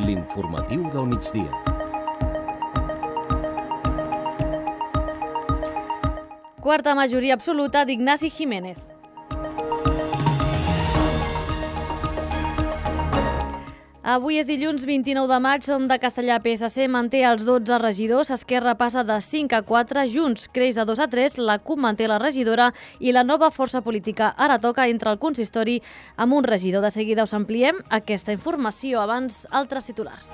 L'informatiu del migdia. Quarta majoria absoluta d'Ignasi Giménez. Avui és dilluns 29 de maig, Som de Castellà. PSC manté els 12 regidors, Esquerra passa de 5 a 4, Junts creix de 2 a 3, la CUP manté la regidora i la nova força política ara toca entre el consistori amb un regidor. De seguida us ampliem aquesta informació. Abans, altres titulars.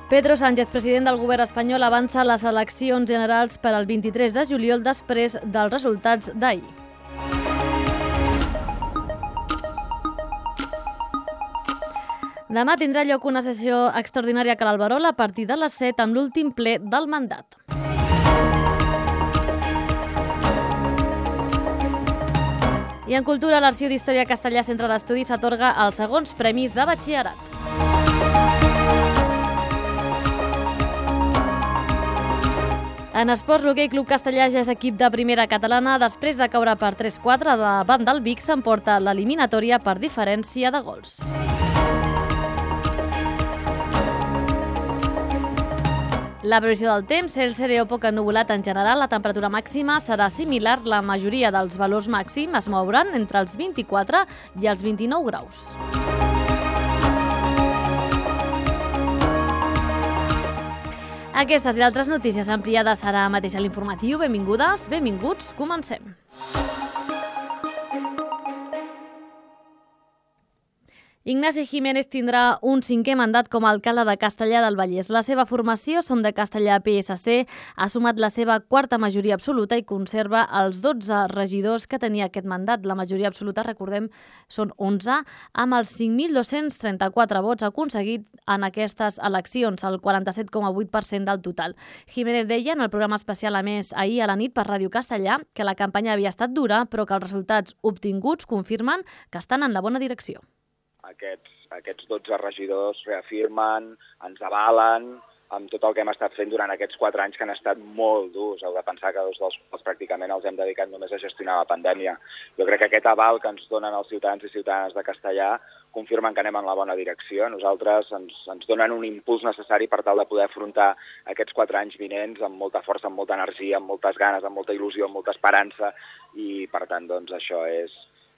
Pedro Sánchez, president del govern espanyol, avança les eleccions generals per al 23 de juliol després dels resultats d'ahir. Demà tindrà lloc una sessió extraordinària a Cal Alberol a partir de les 7 amb l'últim ple del mandat. I en cultura, l'Arxiu d'Història Castellà Centre d'Estudis s'atorga els segons premis de batxillerat. En esports, l'Hoquei Club Castellà ja és equip de primera catalana. Després de caure per 3-4 davant del Vic, s'emporta l'eliminatòria per diferència de gols. La previsió del temps, cel serè o poc ennuvolat en general. La temperatura màxima serà similar. La majoria dels valors màxims es mouran entre els 24 i els 29 graus. Aquestes i altres notícies ampliades ara mateix a l'informatiu. Benvingudes, benvinguts, comencem. Ignasi Giménez tindrà un 5è mandat com a alcalde de Castellar del Vallès. La seva formació, Som de Castellar PSC, ha sumat la seva quarta majoria absoluta i conserva els 12 regidors que tenia aquest mandat. La majoria absoluta, recordem, són 11, amb els 5.234 vots aconseguit en aquestes eleccions, el 47,8% del total. Giménez deia en el programa especial, a més, ahir a la nit per Ràdio Castellà, que la campanya havia estat dura, però que els resultats obtinguts confirmen que estan en la bona direcció. Aquests 12 regidors reafirmen, ens avalen amb tot el que hem estat fent durant aquests 4 anys que han estat molt durs. Heu de pensar que 2 dels quals pràcticament els hem dedicat només a gestionar la pandèmia. Jo crec que aquest aval que ens donen els ciutadans i ciutadanes de Castellar confirmen que anem en la bona direcció. Nosaltres ens donen un impuls necessari per tal de poder afrontar aquests 4 anys vinents amb molta força, amb molta energia, amb moltes ganes, amb molta il·lusió, amb molta esperança i, per tant, doncs, això és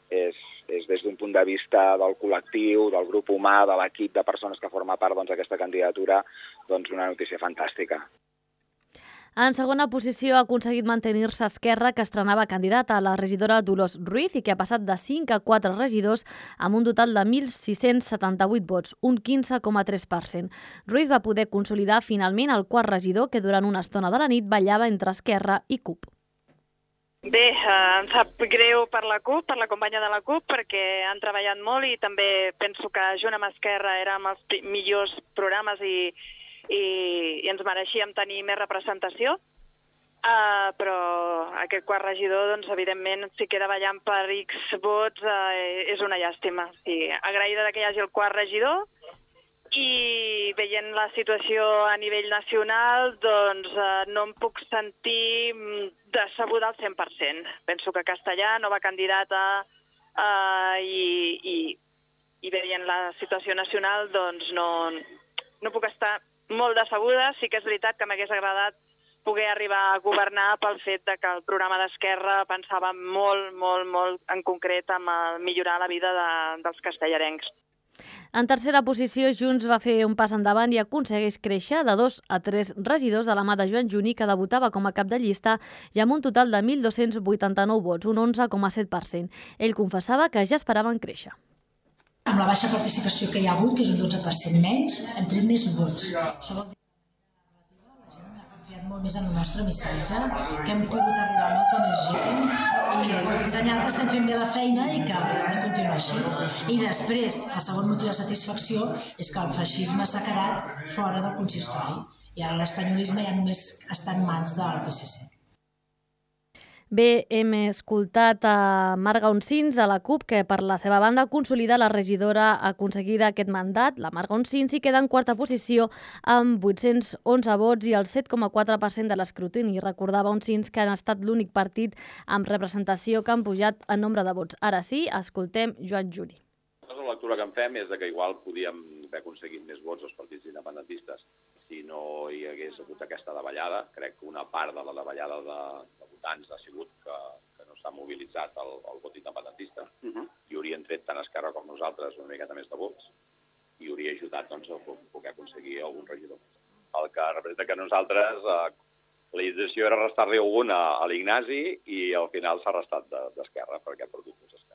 des d'un punt de vista del col·lectiu, del grup humà, de l'equip de persones que forma part d'aquesta candidatura, una notícia fantàstica. En segona posició ha aconseguit mantenir-se Esquerra, que estrenava candidata a la regidora Dolors Ruiz i que ha passat de 5 a 4 regidors amb un total de 1.678 vots, un 15,3%. Ruiz va poder consolidar finalment el quart regidor que durant una estona de la nit ballava entre Esquerra i CUP. Bé, em sap greu per la CUP, per la companya de la CUP, perquè han treballat molt i també penso que junt amb Esquerra érem els millors programes i ens mereixíem tenir més representació. Però aquest quart regidor, evidentment, si queda ballant per X vots, és una llàstima. Agraïda que hi hagi el quart regidor, i veient la situació a nivell nacional, no em puc sentir decebuda al 100%. Penso que Castellà, nova candidata, i veient la situació nacional, no puc estar molt decebuda. Sí que és veritat que m'hagués agradat poder arribar a governar pel fet que el programa d'Esquerra pensava molt, molt, molt en concret en millorar la vida dels castellarencs. En tercera posició, Junts va fer un pas endavant i aconsegueix créixer de 2 a 3 regidors de la mà de Joan Juny, que debutava com a cap de llista i amb un total de 1.289 vots, un 11,7%. Ell confessava que ja esperaven créixer. Amb la baixa participació que hi ha hagut, que és un 12% menys, hem tret més vots. Això vol dir que la gent ha confiat molt més en el nostre missatge, que hem pogut arribar a molta més gent i senyal que estem fent bé la feina i que hem de continuar així. I després, el segon motiu de satisfacció és que el feixisme s'ha quedat fora del consistori i ara l'espanyolisme ja només està en mans del PSC. Bé, hem escoltat a Marga Oncins de la CUP, que per la seva banda consolida la regidora aconseguida aquest mandat. La Marga Oncins hi queda en quarta posició amb 811 vots i el 7,4% de l'escrutini. Recordava Oncins que han estat l'únic partit amb representació que han pujat en nombre de vots. Ara sí, escoltem Joan Juri. La lectura que en fem és que igual podíem haver aconseguit més vots als partits independentistes si no hi hagués hagut aquesta davallada. Crec que una part de la davallada de votants ha sigut que no s'ha mobilitzat el vot independentista i haurien tret tant Esquerra com nosaltres una miqueta més de vots i hauria ajudat doncs, a poder aconseguir algun regidor. El que representa que nosaltres la intenció era restar-li algun a l'Ignasi i al final s'ha restat d'Esquerra perquè ha perdut més Esquerra.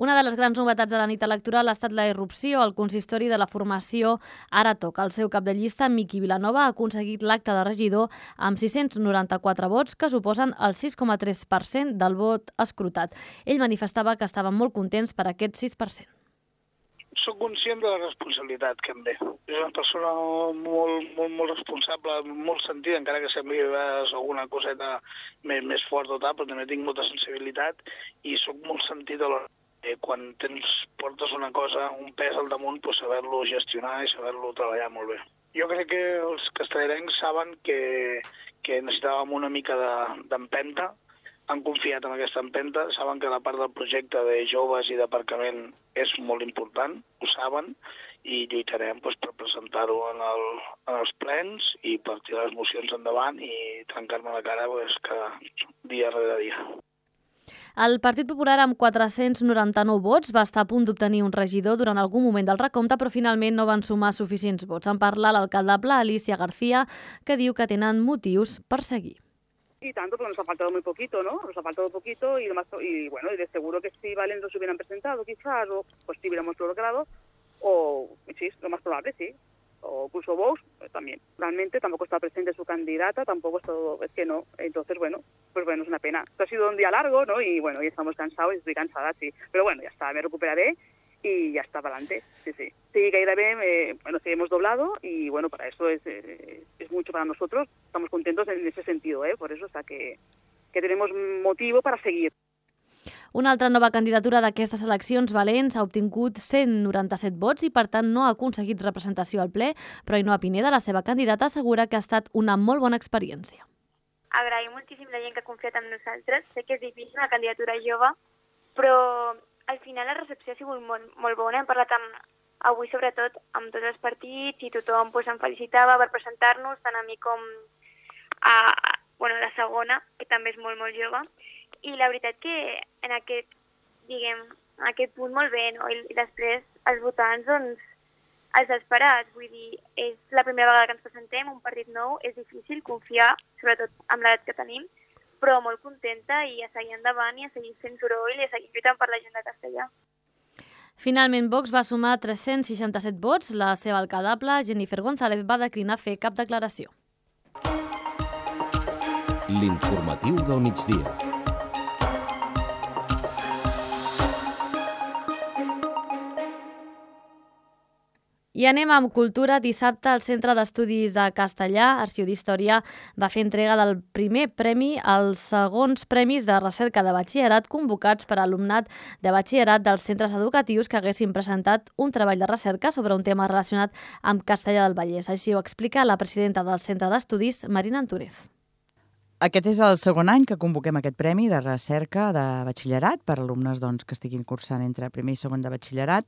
Una de les grans novetats de la nit electoral ha estat la irrupció al consistori de la formació Ara Toca. El seu cap de llista, Miqui Vilanova, ha aconseguit l'acte de regidor amb 694 vots, que suposen el 6,3% del vot escrutat. Ell manifestava que estaven molt contents per aquest 6%. Soc conscient de la responsabilitat que em ve. És una persona molt responsable, molt sentida, encara que sembli alguna coseta més forta o tal, però també tinc molta sensibilitat i soc molt sentit a l'hora. Quan portes una cosa, un pes al damunt, doncs saber-lo gestionar i saber-lo treballar molt bé. Jo crec que els castellarencs saben que necessitàvem una mica d'empenta, han confiat en aquesta empenta, saben que la part del projecte de joves i d'aparcament és molt important, ho saben, i lluitarem per presentar-ho en els plens i per tirar les mocions endavant i trencar-me la cara cada dia rere dia. El Partit Popular, amb 499 vots, va estar a punt d'obtenir un regidor durant algun moment del recompte, però finalment no van sumar suficients vots. En parla l'alcaldable Alicia García, que diu que tenen motius per seguir. Y tanto, porque nos ha faltado muy poquito, ¿no? Nos ha faltado poquito y bueno, y de seguro que si Valen nos hubieran presentado quizás, o pues si hubiéramos logrado, o sí, lo más probable, sí. O incluso Vox también. Realmente tampoco está presente su candidata, tampoco es que no. Entonces, bueno, pues bueno, es una pena. Esto ha sido un día largo, ¿no? Y bueno, ya estamos cansados y estoy cansada, sí. Pero bueno, ya está, me recuperaré y ya está para adelante. Sí, sí. Sí, gairebé, sí, hemos doblado y bueno, para eso es mucho para nosotros. Estamos contentos en ese sentido, Por eso está que tenemos motivo para seguir. Una altra nova candidatura d'aquestes eleccions valents ha obtingut 197 vots i, per tant, no ha aconseguit representació al ple, però Ainhoa Pineda, la seva candidata, assegura que ha estat una molt bona experiència. Agraïm moltíssim la gent que ha confiat en nosaltres. Sé que és difícil, una candidatura jove, però al final la recepció ha sigut molt bona. Hem parlat avui, sobretot, amb tots els partits i tothom em felicitava per presentar-nos, tant a mi com a la segona, que també és molt jove. I la veritat que en aquest punt molt bé, no? I després els votants, doncs, els esperats. Vull dir, és la primera vegada que ens presentem, un partit nou, és difícil confiar, sobretot amb l'edat que tenim, però molt contenta i a seguir endavant i a seguir fent soroll i a seguir lluitant per la gent de Castellà. Finalment, Vox va sumar 367 vots. La seva alcaldable, Jennifer González, va declinar fer cap declaració. L'informatiu del migdia. I anem amb cultura. Dissabte, el Centre d'Estudis de Castellà, Arxiu d'Història, va fer entrega del primer premi als segons premis de recerca de batxillerat convocats per alumnat de batxillerat dels centres educatius que haguessin presentat un treball de recerca sobre un tema relacionat amb Castellà del Vallès. Així ho explica la presidenta del Centre d'Estudis, Marina Antúnez. Aquest és el segon any que convoquem aquest premi de recerca de batxillerat per alumnes que estiguin cursant entre primer i segon de batxillerat.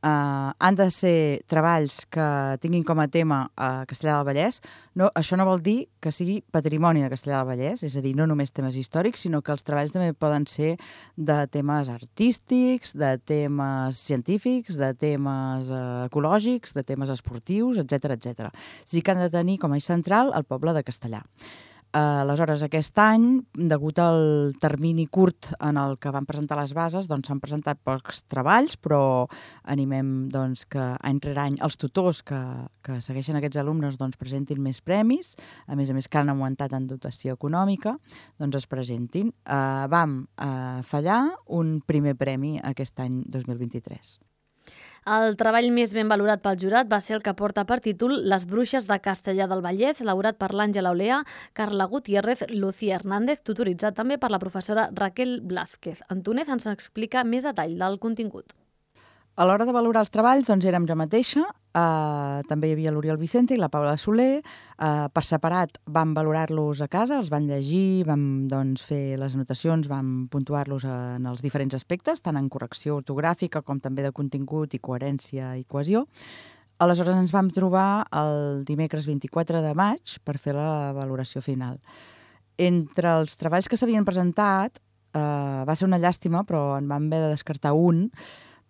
Han de ser treballs que tinguin com a tema Castellà del Vallès. Això no vol dir que sigui patrimoni de Castellà del Vallès, és a dir, no només temes històrics, sinó que els treballs també poden ser de temes artístics, de temes científics, de temes ecològics, de temes esportius, etc etc. És a dir, que han de tenir com a eix central el poble de Castellà. Aleshores, aquest any, degut al termini curt en el que van presentar les bases, s'han presentat pocs treballs, però animem que any rere any els tutors que segueixen aquests alumnes presentin més premis, a més que han augmentat en dotació econòmica, es presentin. Vam fallar un primer premi aquest any 2023. El treball més ben valorat pel jurat va ser el que porta per títol Les bruixes de Castellar del Vallès, elaborat per l'Àngela Olea, Carla Gutiérrez, Lucía Hernández, tutoritzat també per la professora Raquel Blázquez. Antúnez ens explica més detall del contingut. A l'hora de valorar els treballs, doncs érem jo mateixa, també hi havia l'Oriol Vicente i la Paula Soler. Per separat vam valorar-los a casa, els vam llegir, vam fer les anotacions, vam puntuar-los en els diferents aspectes, tant en correcció ortogràfica com també de contingut i coherència i cohesió. Aleshores ens vam trobar el dimecres 24 de maig per fer la valoració final. Entre els treballs que s'havien presentat, va ser una llàstima, però en vam haver de descartar un,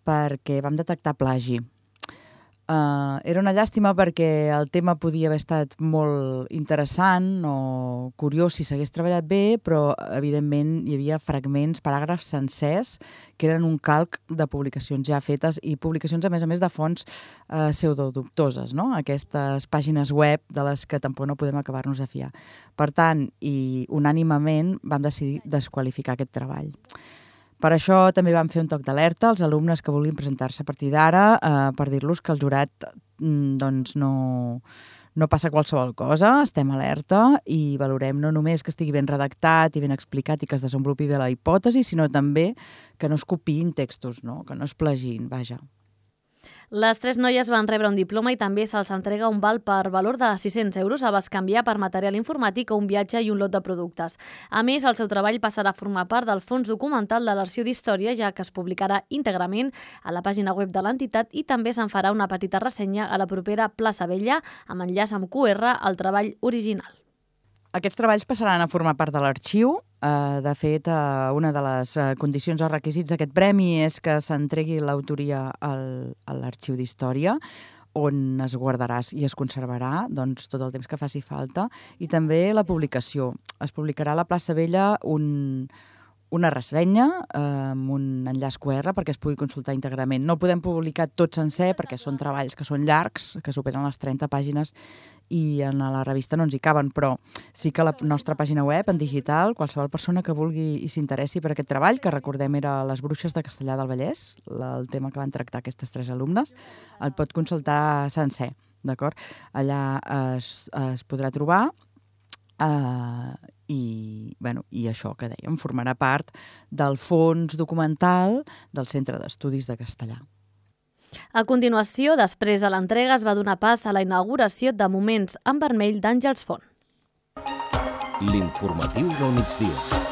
perquè vam detectar plagi. Era una llàstima perquè el tema podia haver estat molt interessant o curiós si s'hagués treballat bé, però evidentment hi havia fragments, paràgrafs sencers, que eren un calc de publicacions ja fetes i publicacions, a més de fonts pseudodubtoses, no? Aquestes pàgines web de les que tampoc no podem acabar-nos de fiar. Per tant, i unànimement vam decidir desqualificar aquest treball. Per això també vam fer un toc d'alerta als alumnes que volien presentar-se a partir d'ara per dir-los que el jurat no passa qualsevol cosa, estem alerta i valorem no només que estigui ben redactat i ben explicat i que es desenvolupi bé la hipòtesi, sinó també que no es copiïn textos, no? Que no es plagin, vaja. Les 3 noies van rebre un diploma i també se'ls entrega un val per valor de 600 euros a bescanviar per material informàtic o un viatge i un lot de productes. A més, el seu treball passarà a formar part del fons documental de l'Arxiu d'Història, ja que es publicarà íntegrament a la pàgina web de l'entitat i també se'n farà una petita ressenya a la propera Plaça Vella amb enllaç amb QR al treball original. Aquests treballs passaran a formar part de l'arxiu. De fet, una de les condicions o requisits d'aquest premi és que s'entregui l'autoria a l'Arxiu d'Història, on es guardarà i es conservarà tot el temps que faci falta, i també la publicació. Es publicarà a la Plaça Vella una ressenya amb un enllaç QR perquè es pugui consultar íntegrament. No el podem publicar tot sencer perquè són treballs que són llargs, que superen les 30 pàgines i en la revista no ens hi caben, però sí que a la nostra pàgina web, en digital, qualsevol persona que vulgui i s'interessi per aquest treball, que recordem era Les bruixes de Castellar del Vallès, el tema que van tractar aquestes 3 alumnes, el pot consultar sencer, d'acord? Allà es podrà trobar i això que dèiem, formarà part del fons documental del Centre d'Estudis de Castellar. A continuació, després de l'entrega, es va donar pas a la inauguració de Moments en Vermell d'Àngels Font. L'informatiu del migdia.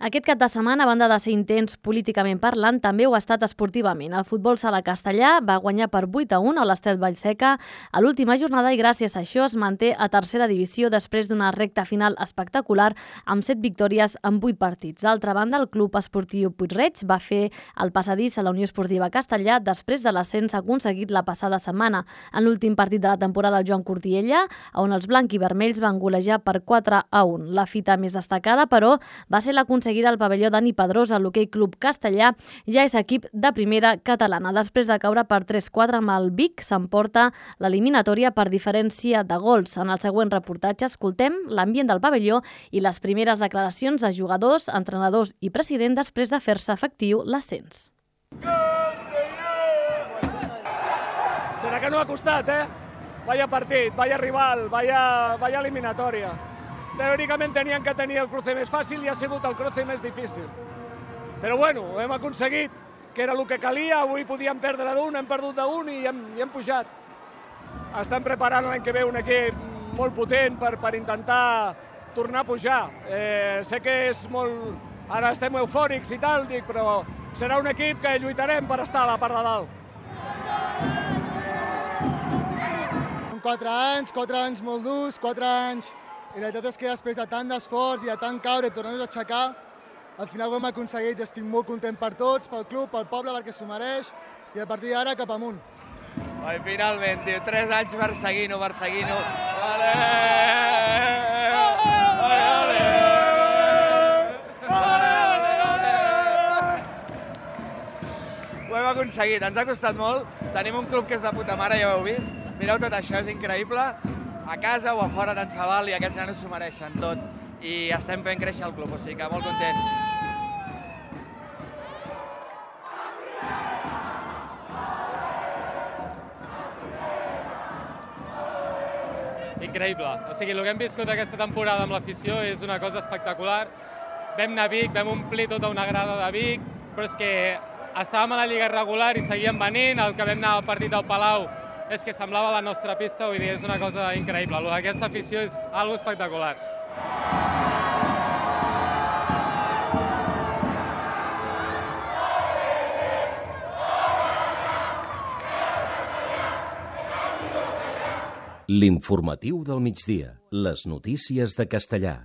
Aquest cap de setmana, a banda de ser intens políticament parlant, també ho ha estat esportivament. El futbol sala castellà va guanyar per 8-1 a l'Estet Vallseca a l'última jornada i gràcies a això es manté a tercera divisió després d'una recta final espectacular amb 7 victòries en 8 partits. D'altra banda, el Club Esportiu Puig-reig va fer el passadís a la Unió Esportiva Castellà després de l'ascens aconseguit la passada setmana. En l'últim partit de la temporada del Joan Cortiella, on els blanc-i-vermells van golejar per 4-1. La fita més destacada, però, va ser l'aconseguida al pavelló Dani Pedrosa, l'Hoquei Club Castellà ja és equip de primera catalana. Després de caure per 3-4 amb el Vic, s'emporta l'eliminatòria per diferència de gols. En el següent reportatge escoltem l'ambient del pavelló i les primeres declaracions de jugadors, entrenadors i president després de fer-se efectiu l'ascens. Serà que no ha costat, Vaya partit, vaya rival, vaya eliminatòria. Teòricament tenien que tenir el cruce més fàcil i ha sigut el cruce més difícil. Però bueno, hem aconseguit, que era el que calia, avui podíem perdre d'un, hem perdut d'un i hem pujat. Estem preparant l'any que ve un equip molt potent per intentar tornar a pujar. Sé que és molt... Ara estem eufòrics i tal, però serà un equip que lluitarem per estar a la part de dalt. 4 anys molt durs, 4 anys... I la veritat és que després de tant d'esforç i de tant caure i tornar-nos a aixecar, al final ho hem aconseguit i estic molt content per tots, pel club, pel poble, perquè s'ho mereix, i a partir d'ara cap amunt. Ai, finalment, tio, 3 anys perseguint-ho. Vale! Ho hem aconseguit, ens ha costat molt, tenim un club que és de puta mare, ja ho heu vist, mireu tot això, és increïble, a casa o a fora tant se val i aquests nanos s'ho mereixen tot i estem fent créixer el club, o sigui que molt content. increïble. O sigui, el que hem viscut aquesta temporada amb l'afició és una cosa espectacular. Vam anar a Vic, vam omplir tota una grada de Vic, però és que estàvem a la Lliga regular i seguíem venint, el que vam anar al partit del Palau és que semblava la nostra pista, vull dir, és una cosa increïble. Aquesta afició és algo espectacular. L'informatiu del migdia. Les notícies de Castellà.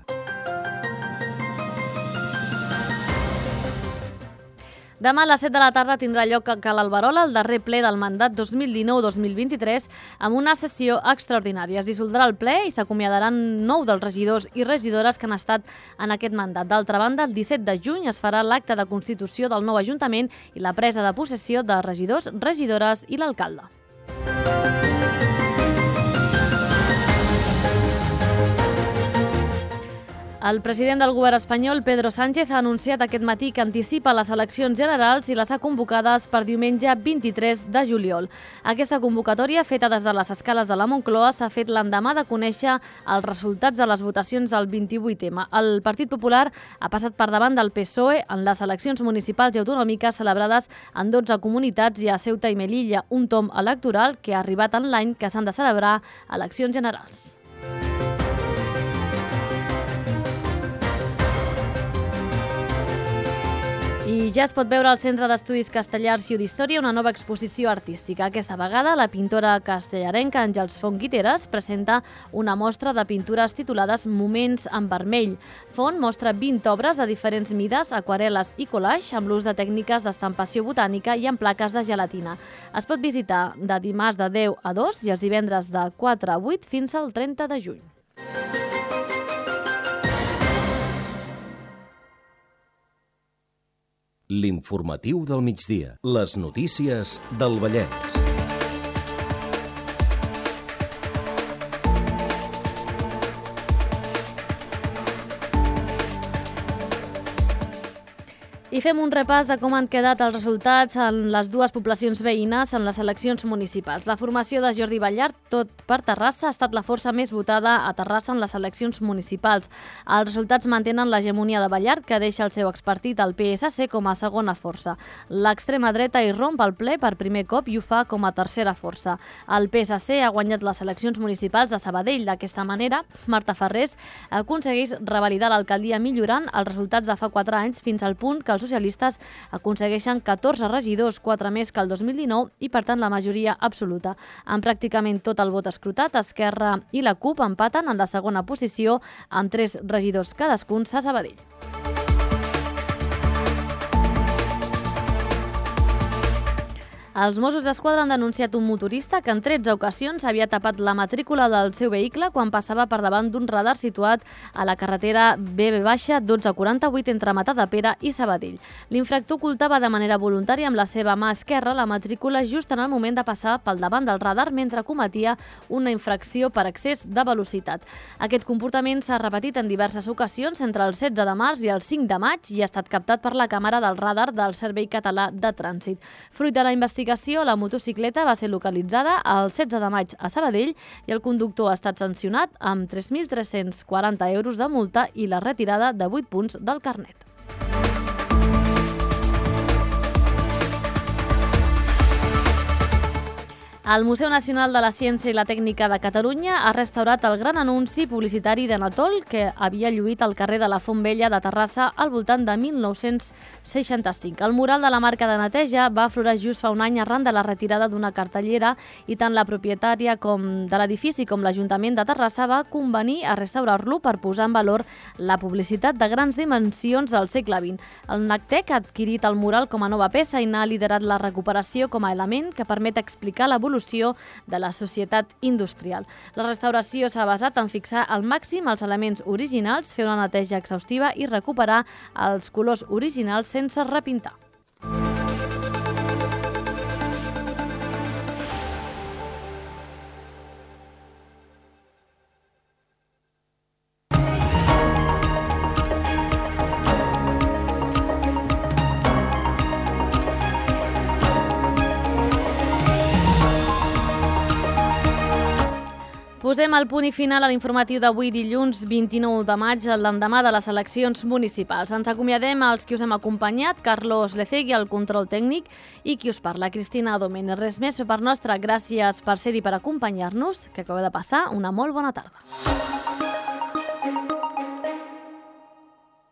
Demà a les 7 de la tarda tindrà lloc a Cal Alberola el darrer ple del mandat 2019-2023 amb una sessió extraordinària. Es dissoldrà el ple i s'acomiadaran 9 dels regidors i regidores que han estat en aquest mandat. D'altra banda, el 17 de juny es farà l'acte de constitució del nou Ajuntament i la presa de possessió de regidors, regidores i l'alcalde. El president del govern espanyol, Pedro Sánchez, ha anunciat aquest matí que anticipa les eleccions generals i les ha convocades per diumenge 23 de juliol. Aquesta convocatòria, feta des de les escales de la Moncloa, s'ha fet l'endemà de conèixer els resultats de les votacions del 28M. El Partit Popular ha passat per davant del PSOE en les eleccions municipals i autonòmiques celebrades en 12 comunitats i a Ceuta i Melilla, un tom electoral que ha arribat en l'any que s'han de celebrar eleccions generals. I ja es pot veure al Centre d'Estudis Castellà Arxiu d'Història una nova exposició artística. Aquesta vegada, la pintora castellarenca Àngels Font Guiteres presenta una mostra de pintures titulades Moments en vermell. Font mostra 20 obres de diferents mides, aquarel·les i collage, amb l'ús de tècniques d'estampació botànica i en plaques de gelatina. Es pot visitar de dimarts de 10 a 2 i els divendres de 4 a 8 fins al 30 de juny. L'informatiu del migdia. Les notícies del Vallès. I fem un repàs de com han quedat els resultats en les dues poblacions veïnes en les eleccions municipals. La formació de Jordi Ballart, tot per Terrassa, ha estat la força més votada a Terrassa en les eleccions municipals. Els resultats mantenen l'hegemonia de Ballart, que deixa el seu expartit, el PSC, com a segona força. L'extrema dreta irromp al ple per primer cop i ho fa com a tercera força. El PSC ha guanyat les eleccions municipals de Sabadell. D'aquesta manera, Marta Ferrés aconsegueix revalidar l'alcaldia millorant els resultats de fa 4 anys fins al punt que els socialistes aconsegueixen 14 regidors, 4 més que el 2019 i, per tant, la majoria absoluta. Amb pràcticament tot el vot escrutat, Esquerra i la CUP empaten en la segona posició amb 3 regidors cadascuns a Sabadell. Els Mossos d'Esquadra han denunciat un motorista que en 13 ocasions havia tapat la matrícula del seu vehicle quan passava per davant d'un radar situat a la carretera BB-1248 entre Matadepera i Sabadell. L'infractor ocultava de manera voluntària amb la seva mà esquerra la matrícula just en el moment de passar pel davant del radar mentre cometia una infracció per excés de velocitat. Aquest comportament s'ha repetit en diverses ocasions entre el 16 de març i el 5 de maig i ha estat captat per la càmera del radar del Servei Català de Trànsit. Fruit de la investigació, la motocicleta va ser localitzada el 16 de maig a Sabadell i el conductor ha estat sancionat amb 3.340 euros de multa i la retirada de 8 punts del carnet. El Museu Nacional de la Ciència i la Tècnica de Catalunya ha restaurat el gran anunci publicitari de Natol que havia lluït al carrer de la Font Vella de Terrassa al voltant de 1965. El mural de la marca de neteja va aflorar just fa un any arran de la retirada d'una cartellera i tant la propietària de l'edifici com l'Ajuntament de Terrassa va convenir a restaurar-lo per posar en valor la publicitat de grans dimensions del segle XX. El NACTEC ha adquirit el mural com a nova peça i n'ha liderat la recuperació com a element que permet explicar l'evolució de la societat industrial. La restauració s'ha basat en fixar al màxim els elements originals, fer una neteja exhaustiva i recuperar els colors originals sense repintar. Posem el punt i final a l'informatiu d'avui dilluns 29 de maig, l'endemà de les eleccions municipals. Ens acomiadem als qui us hem acompanyat, Carlos Lecegui, al control tècnic, i qui us parla, Cristina Domènech. Res més per part nostra, gràcies per ser-hi, per acompanyar-nos, que acabeu de passar una molt bona tarda.